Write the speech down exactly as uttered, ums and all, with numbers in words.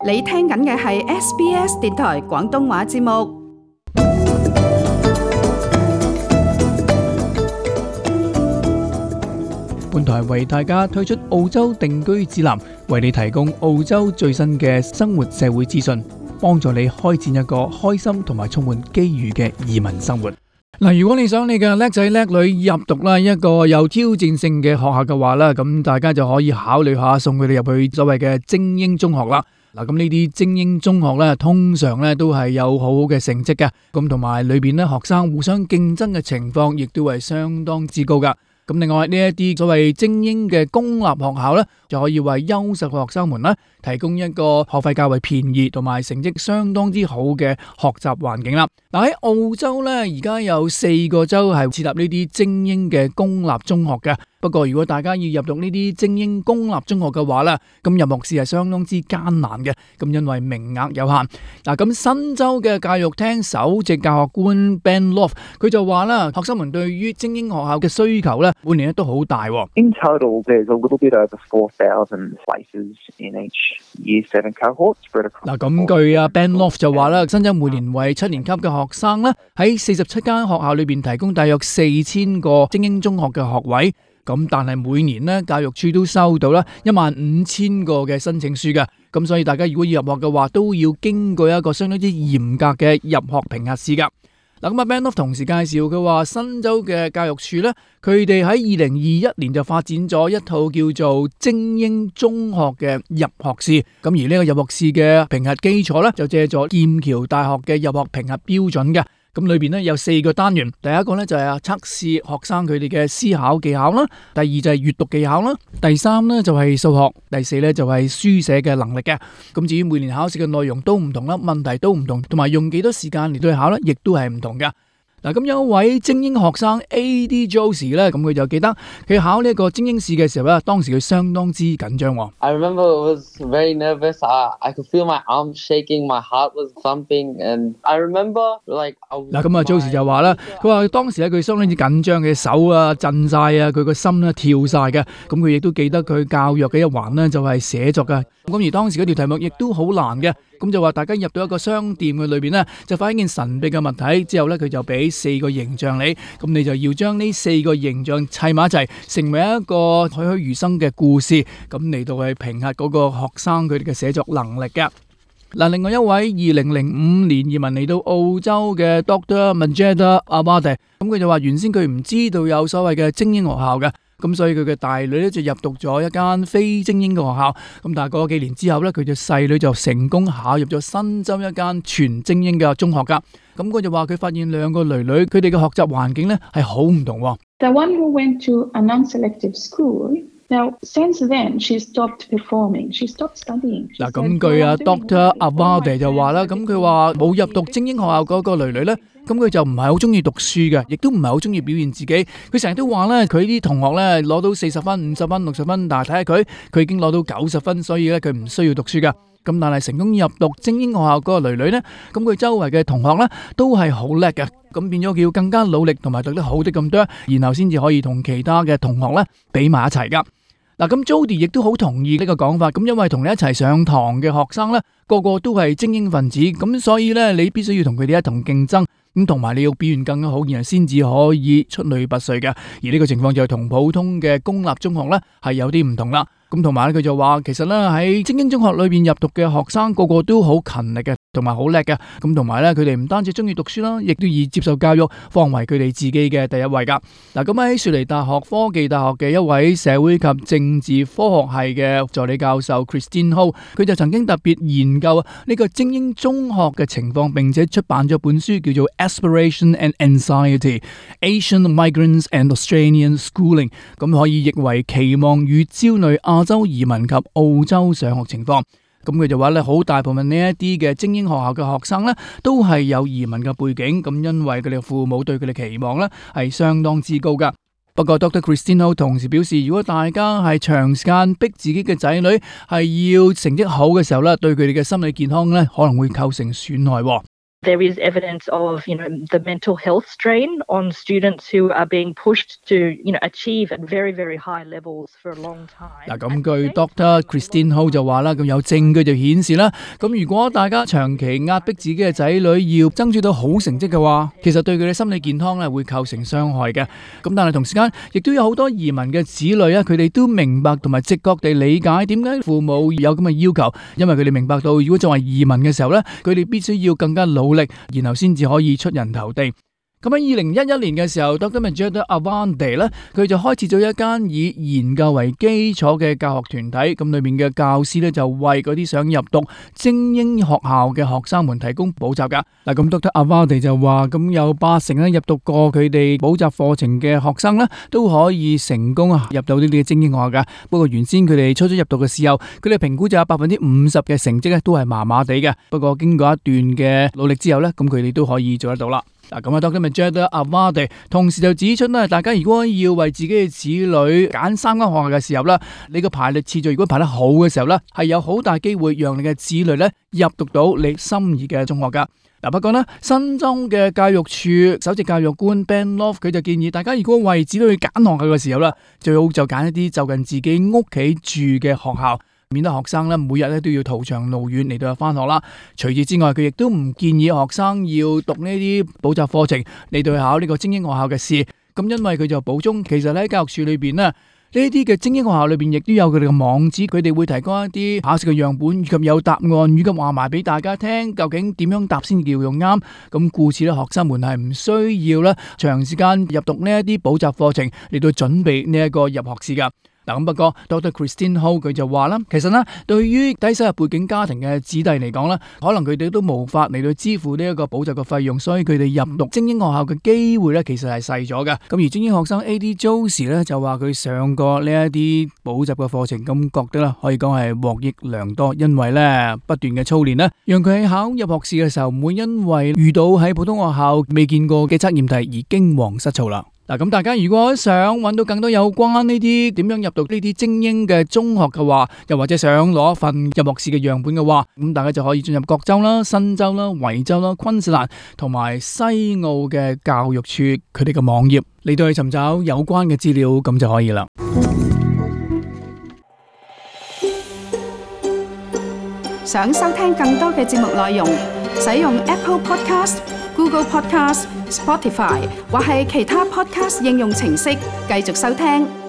你聽緊嘅係 S B S 電台廣東話節目。本台為大家推出澳洲定居指南，為你提供澳洲最新嘅生活社會資訊，幫助你開展一個開心同埋充滿機遇嘅移民生活。嗱，如果你想你嘅叻仔叻女入讀啦一個有挑戰性嘅學校嘅話啦，咁大家就可以考慮下送佢哋入去所謂嘅精英中學啦。嗱，咁呢啲精英中學咧，通常咧都係有好好嘅成績嘅，咁同埋裏邊咧學生互相競爭嘅情況，亦都係相當之高噶。咁另外呢一啲所謂精英嘅公立學校咧，就可以為優秀嘅學生們咧提供一個學費較為便宜同埋成績相當之好嘅學習環境啦。嗱，喺澳洲咧，而家有四個州係設立呢啲精英嘅公立中學嘅。不過如果大家要入讀呢啲精英公立中學嘅話咧，咁入學試係相當之艱難嘅。咁因為名額有限。嗱，咁新州嘅教育廳首席教學官 Ben Loft 佢就話啦，學生們對於精英學校嘅需求咧，每年都好大。In total, there's a little bit over four thousand places in each Year Seven cohort spread across. 嗱，咁據啊 Ben Loft 就話啦，新州每年為七年級嘅學生咧，喺四十七間學校裏邊提供大約四千個精英中學嘅學位。咁但係每年咧，教育處都收到啦一萬五千個嘅申請書嘅。咁所以大家如果要入學嘅話，都要經過一個相當之嚴格嘅入學評核試噶。嗱，咁啊 Ben Loft 同時介紹佢話，新州嘅教育處咧，佢哋喺二零二一年就發展咗一套叫做精英中學嘅入學試。咁而呢個入學試嘅評核基礎咧，就借咗劍橋大學嘅入學評核標準嘅。咁裏邊咧有四個單元，第一個咧就係啊測試學生佢哋嘅思考技巧啦，第二就係閱讀技巧啦，第三咧就係數學，第四咧就係書寫嘅能力嘅。咁至於每年考試嘅內容都唔同啦，問題都唔同，同埋用幾多時間嚟到去考咧，亦都係唔同噶。嗱，咁有一位精英學生 A D Josie 咧，咁佢就記得佢考呢一個精英試嘅時候咧，當時佢相當之緊張。I remember it was very nervous. I I could feel my arms shaking, my heart was thumping, and I remember like 嗱，咁啊 Josie 就話啦，佢話當時咧佢相當之緊張嘅手啊震晒啊，佢個心咧跳晒嘅。咁佢亦都記得佢教育嘅一環咧就係寫作嘅。咁而當時嗰條題目亦都好難嘅。咁就話大家入到一個商店嘅裏邊咧，就發現一件神秘嘅物體之後咧，佢就俾四個形象你，咁你就要將呢四個形象砌埋一齊，成為一個栩栩如生嘅故事，咁嚟到去評核嗰個學生佢哋嘅寫作能力嘅。嗱，另外一位二零零五年移民嚟到澳洲嘅 Doctor Majeda Awade， 咁佢就話原先佢唔知道有所謂嘅精英學校嘅。咁所以佢嘅大女咧就入讀咗一間非精英嘅學校，咁但係過咗幾年之後咧，佢嘅細女就成功考入咗新州一間全精英嘅中學噶。咁佢就話佢發現兩個女女佢哋嘅學習環境咧係好唔同。The one who went to a non-selective school. Now, since then, she stopped performing. She stopped studying. 嗱，咁據啊 Doctor Awade 就話啦，咁佢話冇入讀精英學校嗰個女女咧，咁佢就唔係好中意讀書嘅，亦都唔係好中意表現自己。佢成日都話咧，佢啲同學咧攞到四十分、五十分、六十分，但係睇下佢，佢已經攞到九十分，所以咧佢唔需要讀書噶。咁但係成功入讀精英學校嗰個女女咧，咁佢周圍嘅同學咧都係好叻嘅，咁變咗佢要更加努力同埋讀得好啲咁多，然後先至可以同其他嘅同學咧比埋一齊噶。嗱，咁 Jody 亦都好同意呢個講法，咁因為同你一齊上堂嘅學生咧，個個都係精英分子，咁所以咧你必須要同佢哋一同競爭，咁同埋你要表現更加好，然後先至可以出類拔萃嘅。而呢個情況就係同普通嘅公立中學咧係有啲唔同啦。咁同埋咧佢就話，其實咧喺精英中學裏邊入讀嘅學生個個都好勤力嘅，同埋好叻嘅。咁同埋咧佢哋唔單止中意讀書啦，亦都以接受教育放為佢哋自己嘅第一位噶。嗱，咁喺雪梨大學科技大學嘅一位社會及政治科學系嘅助理教授 Christine Ho， 佢就曾經特別研究呢個精英中學嘅情況，並且出版咗本書叫做 Aspiration and Anxiety: Asian Migrants and Australian Schooling， 咁可以譯為期望與焦慮亞洲移民及澳洲上學情況。咁佢就話咧，好大部分呢一啲嘅精英學校嘅學生咧，都係有移民嘅背景，咁因為佢哋父母對佢哋期望咧係相當之高噶。不過 Doctor Christine Ho 同時表示，如果大家係長時間逼自己嘅仔女係要成績好嘅時候咧，對佢哋嘅心理健康咧可能會構成損害。There is evidence of, you know, the mental health strain on students who are being pushed to, you know, achieve at very, very high levels for a long time. 嗱，咁據 Doctor Christine Ho 就話啦，咁有證據就顯示啦，咁如果大家長期壓迫自己嘅仔女要爭取到好成績嘅話，其實對佢哋心理健康咧會構成傷害嘅。咁但係同時間亦都有好多移民嘅子女啊，佢哋都明白同埋直覺地理解點解父母有咁嘅要求，因為佢哋明白到如果作為移民嘅時候咧，佢哋必須要更加努力，然後先至可以出人頭地。咁喺二零一一年嘅時候 ，Doctor Majida Awande 咧，佢就開設咗一間以研究為基礎嘅教學團體，咁裏面嘅教師咧就為嗰啲想入讀精英學校嘅學生們提供補習噶。嗱，咁 Doctor Awande 就話，咁有八成咧入讀過佢哋補習課程嘅學生咧，都可以成功啊入到呢啲精英學校噶。不過原先佢哋初初入讀嘅時候，佢哋評估就有百分之五十嘅成績咧都係麻麻地嘅。不過經過一段嘅努力之後咧，咁佢哋都可以做得到啦。嗱，咁啊 Doctor Majida Awande 同時就指出咧，大家如果要為自己嘅子女揀三間學校嘅時候咧，你個排列次序如果排得好嘅時候咧，係有好大機會讓你嘅子女咧入讀到你心儀嘅中學噶。嗱，不過呢，新州嘅教育處首席教育官 Ben Love 佢就建議大家如果為子女揀學校嘅時候咧，最好就揀一啲就近自己屋企住嘅學校，免得學生咧每日咧都要途長路遠嚟到返學啦。除此之外，佢亦都唔建議學生要讀呢啲補習課程嚟到考呢個精英學校嘅試。咁因為佢就補充，其實喺教育處裏邊呢，呢啲嘅精英學校裏邊亦都有佢哋嘅網址，佢哋會提供一啲考試嘅樣本，以及有答案，以及話埋俾大家聽，究竟點樣答先叫用啱。咁故此咧，學生們係唔需要咧長時間入讀呢一啲補習課程嚟到準備呢一個入學試噶。嗱，咁不過 Doctor Christine Ho 佢就話啦，其實呢，對於低收入背景家庭嘅子弟嚟講咧，可能佢哋都無法嚟到支付呢一個補習嘅費用，所以佢哋入讀精英學校嘅機會咧，其實係細咗嘅。咁而精英學生 A D Josie 咧就話佢上過呢一啲補習嘅課程，咁覺得啦，可以講係獲益良多，因為咧不斷嘅操練咧，讓佢喺考入學試嘅時候唔會因為遇到喺普通學校未見過嘅測驗題而驚惶失措啦。嗱，咁大家如果想揾到更多有關呢啲點樣入讀呢啲精英嘅中學嘅話，又或者想攞一份入學試嘅樣本嘅話，咁大家就可以進入各州啦、新州啦、維州啦、昆士蘭同埋西澳嘅教育處佢哋嘅網頁嚟到去尋找有關嘅資料，咁就可以啦。想收聽更多嘅節目內容，使用 Apple Podcast、Google Podcast、Spotify 或係其他 Podcast 應用程式繼續收聽。